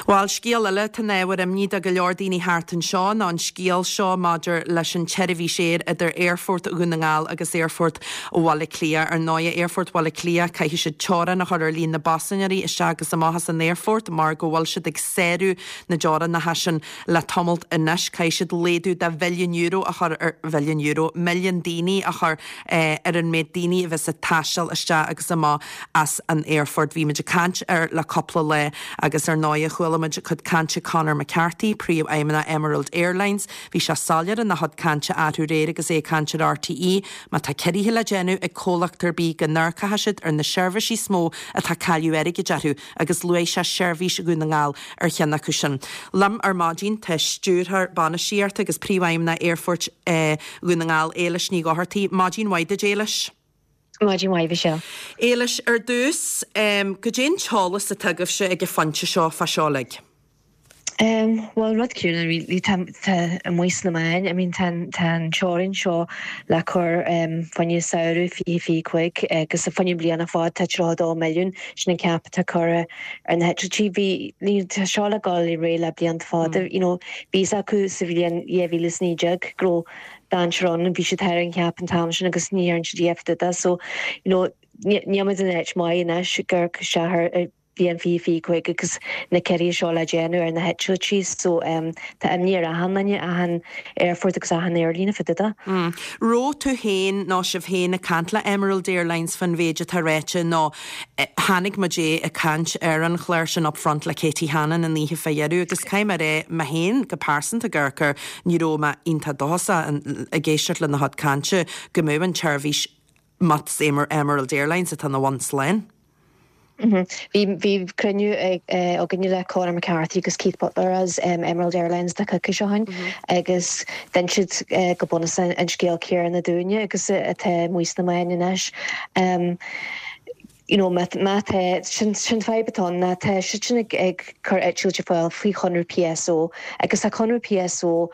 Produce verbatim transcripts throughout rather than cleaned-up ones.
Well scéal eile atá ina ábhar imní do go leor daoine thart anseo ná an scéal seo maidir leis an tseirbhís aeir idir Aerfort Dhún na nGall agus Aerfort Bhaile Átha Cliath ar ndóigh Aerfort Bhaile Átha Cliath caithfidh siad teorainn a chur ar líon na bpaisinéirí isteach agus amach as an aerfort mar go bhfuil siad ag sárú na dteorainneacha sin le tamalt anois caithfidh siad laghdú de mhilliún euro a chur ar mhilliún euro milliún daoine a chur eh, ar an méid daoine a bheas ag taisteal isteach agus amach as an aerfort. Bhí muid ag caint air le cúpla lá agus ar ndóigh chuala muid cuid cainte Conor McCarthy, príomhfheidhmeannach Emerald Airlines, Bhí sé soiléir ina chuid cainte arú aréir agus é ag caint ar RTÉ, má tá ciorruithe le déanamh ag comhlacht ar bith go n-amharcfaidh siad ar na seirbhísí is mó atá cailleadh airgid orthu agus luaigh sé seirbhís Dhún na nGall ar cheann acu sin. Liom ar maidin tá stiúrthóir bainistíochta agus príomhfheidhmeannach Aerfort eh, Dhún na nGall Éilis Ní Dhochartaigh, Maidin mhaith duit Éilis. Maidin mhaith Michelle. Éilis ar dtús um, goidé an t-eolas atá agaibhse ag an phointe seo fá seo uilig. Um, well rud cúna really tá amuigh sna meáin, I mean tá an teorainn seo le cur um, fá choinne samhradh fiche fiche cúig agus a fá choinne bliana fad tá tríocha dó milliún sin an cap atá curtha ar na heitiltí bhí tá seo le dul i ré le blianta fada mm. you know, bhí acu sa bhliain dhá mhíle is naoi déag go raibh dainséar ann bhí siad thar an cap an t-am sin agus ní dhearna siad dada so you know, níl an áit maith anois gur seathar bhíon fi fi chuig agus na ciorruithe seo le déanamh ar na heitiltí so um, tá imní ar achan duine achan aerfort agus achan aerlíne fá dtaobh de. Mm. Raibh tú féin nó sibh féin ag caint le Emerald Airlines fan mhéid atá ráite nó eh, tháinig muid é ag caint ar an chlár sin upfront le Katie Hannon an oíche fá dheireadh agus caithfidh mé rá mé féin go pearsanta gur ní raibh mé iontach dóchasach ag éisteacht lena chuid cainte go mbeadh an tseirbhís mat Emerald Airlines atá na one slán. Mhm. Bhí bhí cruinniú againne le Conor McCarthy agus Keith Butler as um, Emerald Airlines de chu seohain agus den siad uh, go bunúsach an scéal céanna dúinne agus atá amuigh sna meáin anois. Um, you know, má tá sin sin fadhb atá ná tá siad sin ag ag cur eitiltí ar fáil faoi chonradh PSO agus tá conradh PSO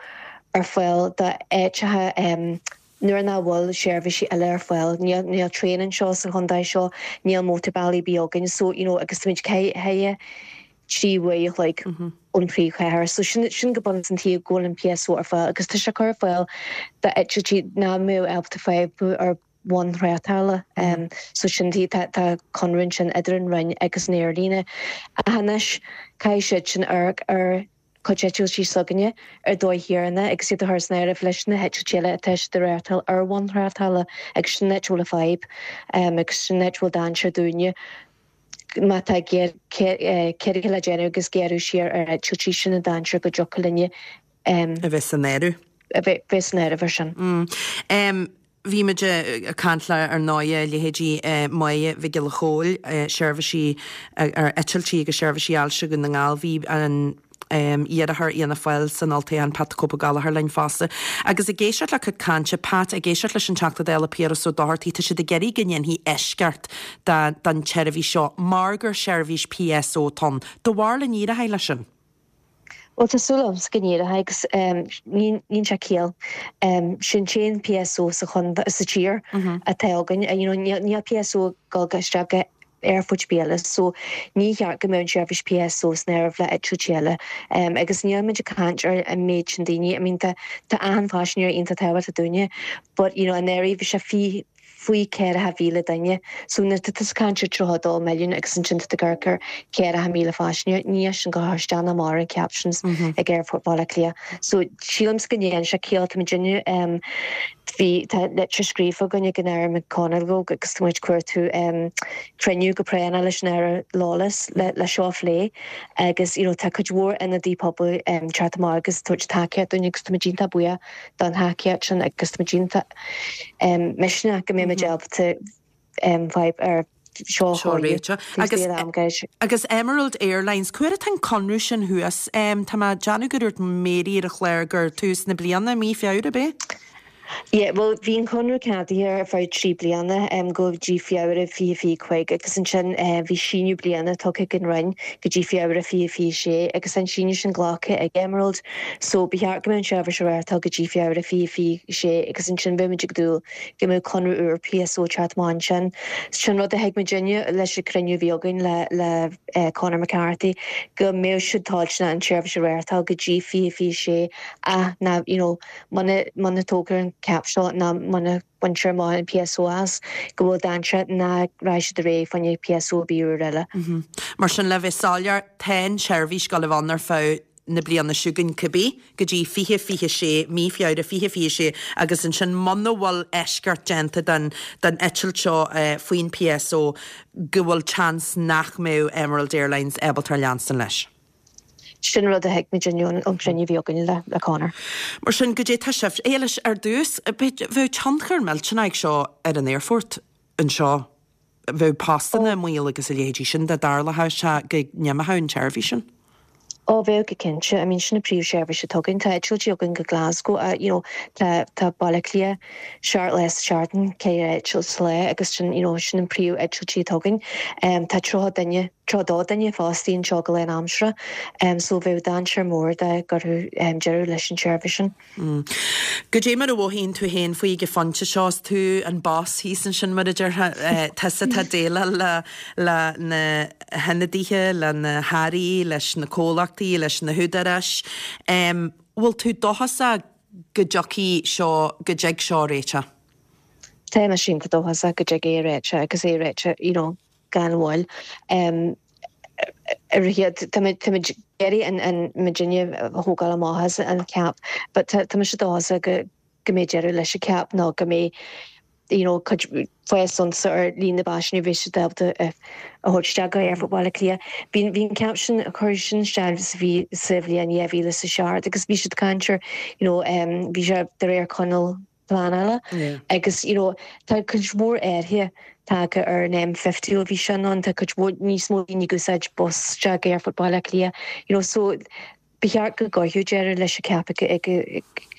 ar fáil d'áiteacha um, nuair nach bhfuil seirbhísí eile ar fáil níl níl traein anseo sa chontae seo níl mótarbhealaí beagan so you know, agus muid cé trí uair like mm -hmm. ón phríomhchathair so sin sin go bunúsach an tuige go bhfuil an PSO ar fáil agus tá sé chur ar fáil d'eitiltí nach mbeadh ábalta feidhmiú ar bhonn tráchtála um, so sin tí tá conradh sin idir an Roinn agus an aerlíne anois caithfidh siad sin ar ar chuid eitiltí s'againne ar dóigh chéanna agus iad a chur san áireamh leis na heitiltí eile atá siad ag reáchtáil ar bhonn tráchtála agus sin áit a bhfuil fadhb um, agus sin áit a bhfuil dainséar dúinne má tá ciorruithe le déanamh agus gearradh siar ar eitiltí sin an dainséar go dtiocfadh linne um, a bheith san áireamh. A bheith san áireamh ar sin. Mm. Um, Bhí muid ag caint le ar ndóigh leithéidí Máire Mhic Giolla Chóill seirbhísí ar eitiltí agus seirbhísí ailse Dhún na nGall bhí an um, iarrthóir Fhianna Fáil san olltoghchán Pat the Cope Gallagher linn fosta. Agus ag éisteacht le cuid cainte Pat ag éisteacht leis an Teachta Dála Piaras Ó Dochartaigh tá siad ag iarraidh go ndéanfaí eisceacht don tseirbhís seo mar gur seirbhís PSO atá ann. Do bharúil an éireoidh leis sin. Well tá súil go n-éireoidh agus níl sé ciall sin sin PSO sa chun sa tír atá againn níl PSO go isteach aerfort eile so ní cheart go mbeadh seirbhís PSO san áireamh le eitiltí eile um, agus níl muid ag caint ar an méid sin daoine I mean tá tá an phaisinéir iontach tábhachtach dúinne but you know an éirí bhí sé fi faoi ceithre mhíle duine so na tá caint tríocha dó milliún agus ansin tá gur ceithre mhíle paisinéir ní sin go háisteanna mar an ceap sin ag Aerfort Bhaile Átha Cliath. So sílim go ndéan sé ciall tá duine um, bhí tá litir scríofa againne ag an Aire McConalogue agus tá muid cuartú um, cruinniú go práinneach leis an Aire Lawless le, le seo a phlé agus you know, tá cuid mhór ionadaí pobail um, teacht amach agus tabhairt tacaíocht dúinn agus tá iontach buíoch don tacaíocht sin agus tá iontach um, misneach go mbeidh ábalta um, fadhb ar seo agus agus Emerald Airlines cuair an conradh sin thuas um, Tá má Janu go dúirt Mary ar a chlár gur tús na bliana mí Feabhra bé? Yeah, well bhí an conradh ceadaithe ar feadh trí bliana um, go dtí Feabhra fiche fiche cúig agus ansin uh, bhí síneadh bliana tugtha ag an Roinn go dtí Feabhra fiche fiche sé agus an síneadh sin glactha ag Emerald so ba cheart go mbeadh an tseirbhís ar go dtí Feabhra fiche fiche sé agus ansin bheimid ag dúil go mbeadh conradh úr PSO teacht amach sin. Sin rud a thuig muidinne leis an cruinniú a bhí againn le le uh, Conor McCarthy go mbeadh siad toilteanach an tseirbhís a reáchtáil go dtí fiche fiche sé a na you know, muna tógtar an cap seo ná muna baintear amach an PSO as go bhfuil dainséar nach raghaidh siad ar aghaidh fá choinne PSO úr eile. Mm -hmm. Mar sin le bheith soiléir tá an tseirbhís ag gabháil a bheith ann ar feadh na bliana seo chugainn cibé go dtí fiche fiche sé mí Feabhra fiche fiche sé agus ansin muna bhfuil eisceacht déanta den den eitilt seo uh, faoin PSO go bhfuil chance nach mbeadh Emerald Airlines ábalta leanstan leis. Sin rud a thuig muid ón cruinniú a bhí againn le le Conor. Mar sin goidé tá sibh éis ar dtús bheadh tionchar millteanach seo ar an aerfort anseo bheadh postanna i mbaol agus a leithéidí sin dá dtarlódh sé go n-imeodh an tseirbhís sin. Ó bheadh go cinnte, I mean sin an príomhsheirbhís atá againn tá eitiltí againn go Glasgow uh, you know, tá tá Baile Átha Cliath seacht lá sa tseachtain ceithre eitilt sa lá agus sin you know, sin an príomh-eitiltí atá againn. Um, tá tríocha duine tríocha dó duine fostaithe anseo go lánaimseartha, um, so bheadh dainséar mór dá gcuirfí um, deireadh leis an tseirbhís sin. Mm. Goidé mar a mhothaíonn tú féin faoi ag an phointe seo tú an boss thíos ansin mar a déarfá tusa atá ag déileáil le le na hionadaithe le na hairí leis na comhlachtaí leis na húdaráis. Um, bhfuil tú dóchasach go dtiocfaidh seo go dtig seo réiteach? Tá mé sin go dóchasach go dtig é réiteach agus é réiteach you know, gan mhoill. Um, Tá géirí an an muidinne thógáil amach an cap, but tá sé dóchasach go go mbeidh deireadh leis an cap nó go mbeidh you know, fásann ar líon na bpaisinéirí bhí siad ábalta a thabhairt go Aerfort Bhaile Átha Cliath. Bhí bhí an cap sin a chur sin isteach bhí sa bhliain dhá mhíle is a seacht agus bhí siad canir you know, um, bhí sé de réir coinníoll pleanála yeah. agus you know, tá cuid mhór athruithe tagtha ar an M fifty ó bhí sin ann tá cuid mhór níos mó daoine ag úsáid bus isteach Aerfort Bhaile Átha Cliath you know, so ba cheart go gcuirfí deireadh leis an cap ag ag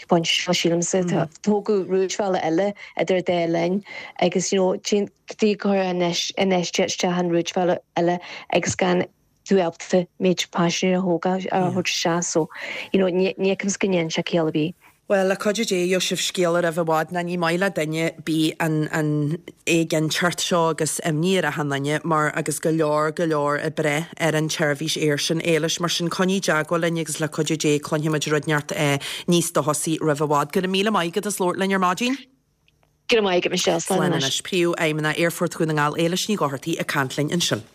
pointe seo sílimse mm. tógadh rúidbhealach eile idir dá linn agus you know, dí chur isteach an rúidbhealach eile agus gan tú ábalta méid paisinéirí a thógáil a thabhairt isteach so you know, ní fheicim go ndéanann sé ciall ar bith. Well le cuidiú Dé gheobhaidh sibh scéal roimh i bhfad ná ní maith le duine ar bith an an éiginnteacht seo agus imní ar achan duine mar agus go leor go leor ag brath ar an tseirbhís aeir sin Éilis mar sin coinnigh i dteagmháil linn agus le cuidiú Dé cluinfimid rud inteacht eh, níos dóchasaí roimh i bhfad. Go raibh míle maith agat as labhairt linn ar maidin. Go maith go Michelle Slán anois Príomhfheidhmeannach Aerfort Dhún na nGall Éilis Ní Dhochartaigh ag caint linn ansin.